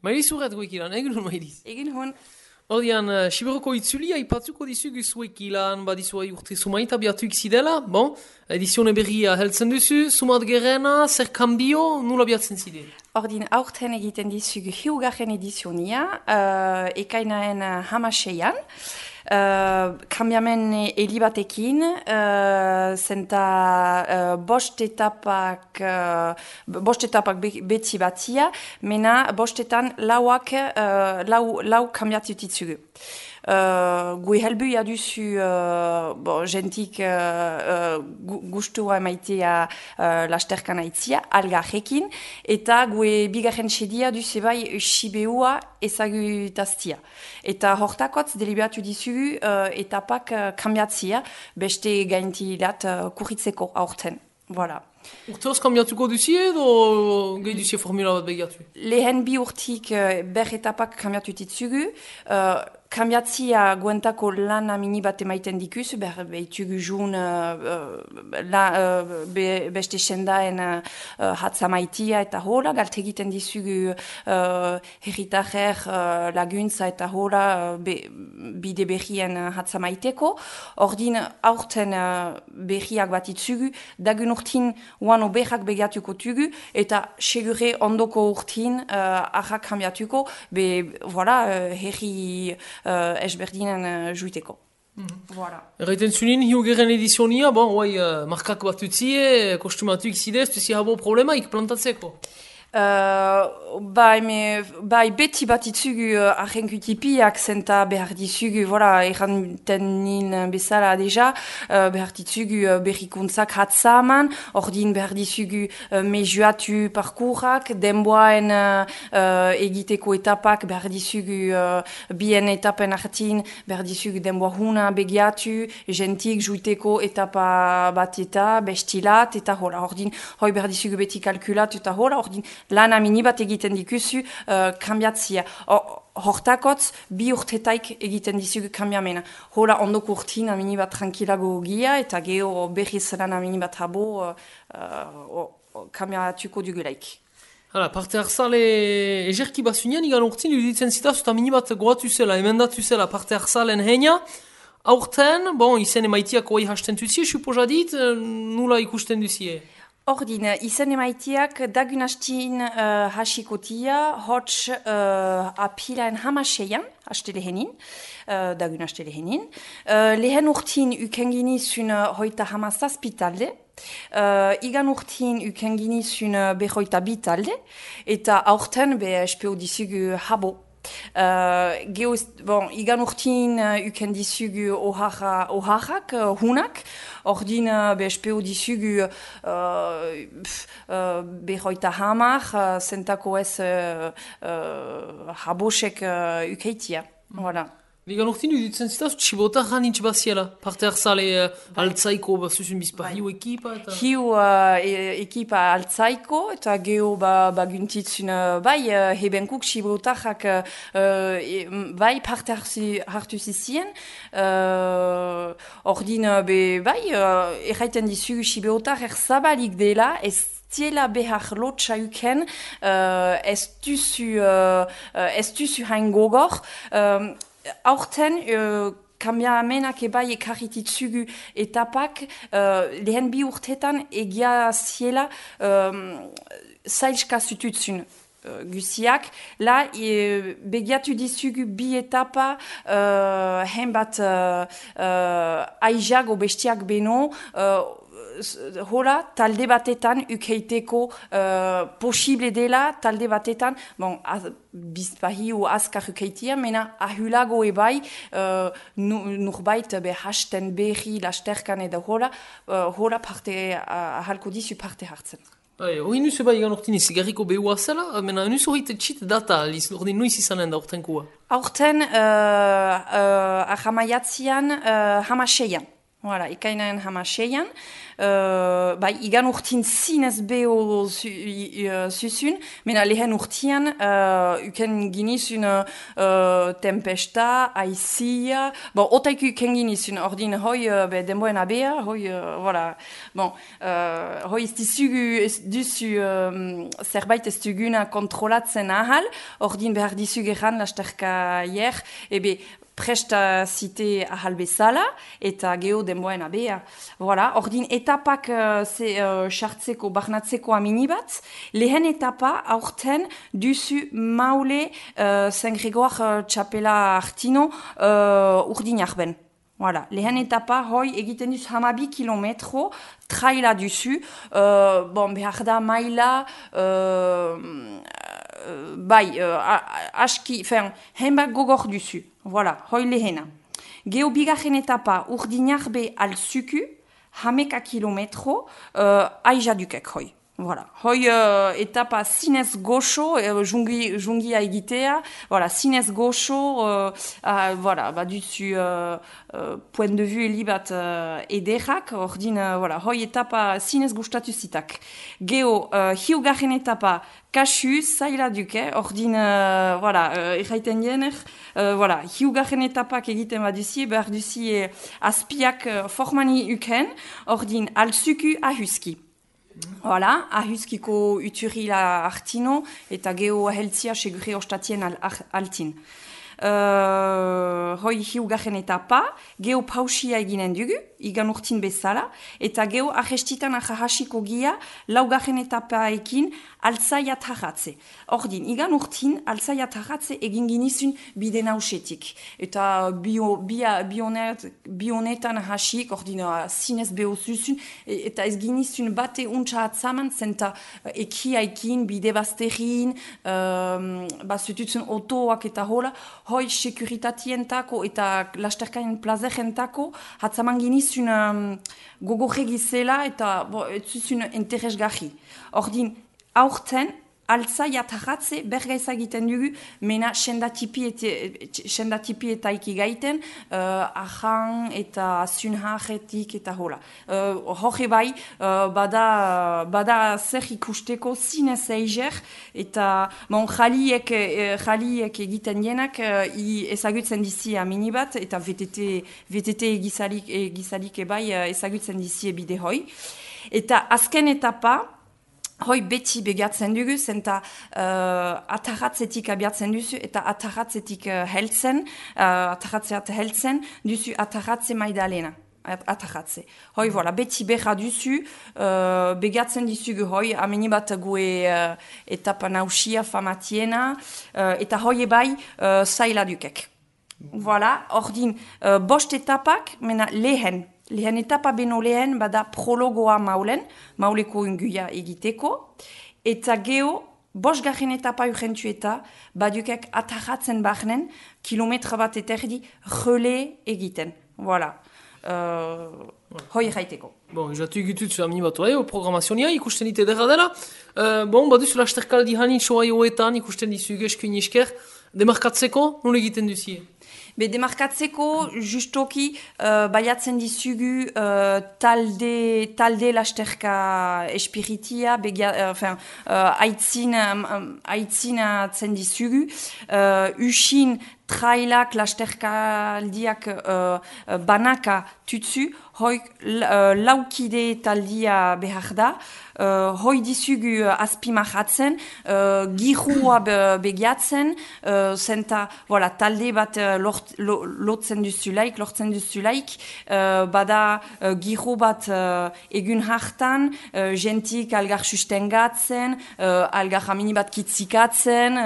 Mailiz urret goik ilan, egin hon Mailiz. Egin hon. Ordian, Siberoko itzulia ipatzuko dizugu zuek ilan, badizuai urte sumaita biatuik zidela, bon, edizione berria heltzen duzu, sumat gerena, zer kambio, nula biatzen zide? Ordin aurten egiten dizugu hiugarren edizionia, ekainaen hamaseian, kambiamen elibatekin, zenta bost etapak beti batia, mena bostetan lau kambiatutitzugu. Gue helbuia duzu jentik gustua emaitea lasterkan aitzia, algarrekin, eta gue bigarren sedia duzu bai sibeua ezagutaztia. Eta hortakotz deliberatu dizugu etapak kambiatzia, beste gaintilat kurritzeko aurten. Voilà. Urteoz kambiatuko duzi edo gehi duzi formula bat begiatu? Lehen bi urtik ber etapak kambiatu ditzugu, kambiatzia guentako lana mini bat emaiten dikuz, behitugu jun beste sendaen hatzamaitia eta hola, galt egiten dizugu herritajer laguntza eta hola bide berrien hatzamaiteko. Ordin aurten berriak bat itzugu, dagun urtin uano berrak begiatuko tugu, eta segure ondoko urtin arrak kambiatuko, voilà, herri esberdinen juiteko. Voilà. Erraiten zunin, hiugeren edizionia, bon, markak bat utzie, kostumatuik zidez, duzi habo problemaik plantatzeko? Bai beti bat itzugu arrenkutipiak zenta behar dizugu, voilà, erranten nin bezala deja, behar ditzugu berrikuntzak hatzaman, ordin behar dizugu mejuatu parkurak, denboaen egiteko etapak, behar dizugu bien etapen hartin, behar dizugu denboa huna begiatu, jentik juiteko etapa bat eta bestilat, eta hola, ordin, hoi behar dizugu beti kalkulatu, eta hola, ordin, lana mini bat egiten dikuzu kambiatzia. Hortakotz, bi urtetaik egiten dizugu kambiamena. Hola ondoko urtin mini bat tranquilago gia eta geho berriz lana mini bat habo kambiatuko dugulaik. Hala, parte harzale ejerki basunean igan urtin iruditzen zitaz eta mini bat goatu zela, emendatu zela parte harzalen heina. Aurten, bon, izen emaitiak oai hasten duzie, supozadit, nula ikusten duzie? Ordin, izen emaitiak dagun hastin hasikotia, hots apilaen hamaseian, haste lehenin, dagun haste lehenin. Lehen urtin ukenginizun hoita hamazazpitalde, igan urtin ukenginizun behoita bitalde, eta aurten espeo dizugu habo. Igan urtin uken dizugu oharrak, hunak, ordin espeo dizugu behoita hamar, zentako ez habosek ukeitia. Voilà. Igan urtin uditzen zitaz, txibotak hanitz baziela, parte harzale altzaiko bazuzun bizpa, hiu ekipa eta... Hiu ekipa altzaiko eta geho baguntitzun hebenkuk txibotak bai parte hartu zizien, ordin erraiten dizugu txibotak erzabalik dela, ez tiela behar lotxa uken, ez duzu hain gogor, aurten, kambiamenak ebai ekarrititzugu etapak, lehen bi urtetan egia ziela zailska zututzun guziak. La, begiatu dizugu bi etapa henbat aizago bestiak beno, hola, talde batetan ukeiteko posible dela, talde batetan, bizpahiu azkar ukeitia, mena ahulago ebai, nurbait hasten berri lasterkan edo hola parte ahalko dizu parte hartzen. Hori nuzu bai egan ortin izigarriko behua zela, mena nuzu horite txit data, ordin nuiz izanen da ortenkua? Aurten, ahamaiatzian, hamaseian. Voilà, ekainaren hamaseian, bai, igan urtin zinez beho zuzun, mena lehen urtian, uken ginizun tempesta, aizia, bon, otaik uken ginizun, ordin hoi denboen abea, hoi, voilà, bon, hoi ez duzu zerbait ez duguna kontrolatzen ahal, ordin behar dizu geran lasterka hier, ebe, presta zite ahal bezala, eta geho denboen abea. Voilà, ordin etapak sartzeko, barnatzeko amini bat, lehen etapa aurten duzu maule Saint Grégoire txapela hartino urdin arben. Voilà, lehen etapa hoi egiten duz 12 kilometro, traila duzu, bon, behar da maila, bai, aski, henbak gogor duzu. Voilà, hoi lehena. Geho bigarren etapa urdinarbe al zuku, 11 kilometro, aizadukek hoi. Voilà, hoi etapa zinez goxo, jungia egitea, voilà, zinez goxo, voilà, baduzu point de vue elibat ederrak, ordin, voilà, hoi etapa zinez gustatu zitak. Geho, hiugarren etapa kasu, zaila duke, ordin, voilà, erraiten jener, voilà, hiugarren etapak egiten baduzie, behar duzie azpiak formani uken, ordin, alzuku ahuski. Voilà, ahuskiko uturila hartino, eta geho heltzia segure ostatien altin. Hoi hiugarren etapa, geho pausia eginen dugu, igan urtin bezala, eta geho arrestitan ahasiko gia, laugarren etapaekin altzai atarratze. Ordin, igan urtin altzai atarratze egin ginizun bide nausetik. Eta bionetan hasik, ordin, zinez behozuzun, eta ez ginizun bate untsa atzaman, zenta ekiaikin, bide bazterin, bazututzen otoak eta hola, hoi sekuritientako eta lasterkain plazerentako hatzaman ginizun gogorregizela eta ez zuzun interesgarri. Ordin, aurten, altzai atarratze bergaiza egiten dugu, mena sendatipi eta ikigaiten, ahan eta zunharretik eta hola. Horre bai, bada zer ikusteko zinez eiger, eta jaliek egiten jenak ezagutzen dizi amini bat, eta VTT egizalik ebai ezagutzen dizi bide hoi. Eta azken etapa, hoi beti begatzen dugu, zenta atarratzetik abiatzen duzu, eta atarratzetik heltzen, duzu atarratze maidalena. Atarratze. Hoi, voilà, beti beha duzu, begatzen dizugu hoi, ameni bat gue etapa nausia famatiena, eta hoi ebai zaila dukek. Voilà, ordin, bost etapak, mena lehen etapa beno lehen, bada prologoa mauleko unguia egiteko, eta geho, bosgarren etapa urrentu eta, badukek atarratzen barnen, kilometra bat eterdi, relé egiten. Voilà. Hoi erraiteko. Bon, jatu egitut amini bat programazionia, ikusten dite derra dela. Bon, baduzu lasterkaldi hani soa joetan, ikusten dizu eskuin esker, demarkatzeko, nola egiten duzie? Be demarkatzeko justoki baiatzen dizugu talde lasterka espiritia, aitzinatzen dizugu, usin trailak lasterkaldiak banaka tutsu, hoik laukide taldia behar da, hoi dizugu azpimahatzen, girua begiatzen, zenta talde bat lortzen duzulaik, bada giro bat egun hartan, jentik algar sustengatzen, algar hamini bat kitzikatzen,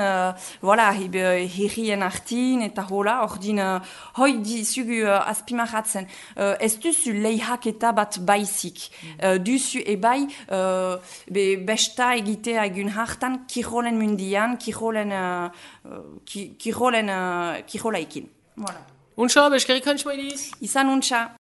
herrien artin, eta hola, ordin, hoi dizugu azpimahatzen. Ez duzu leihaketa bat baizik. Duzu ebai besta egitea egun hartan kirolen mundian, kirolaikin. Voilà. Untxa, beskerik hantzmaidiz? Izan untxa.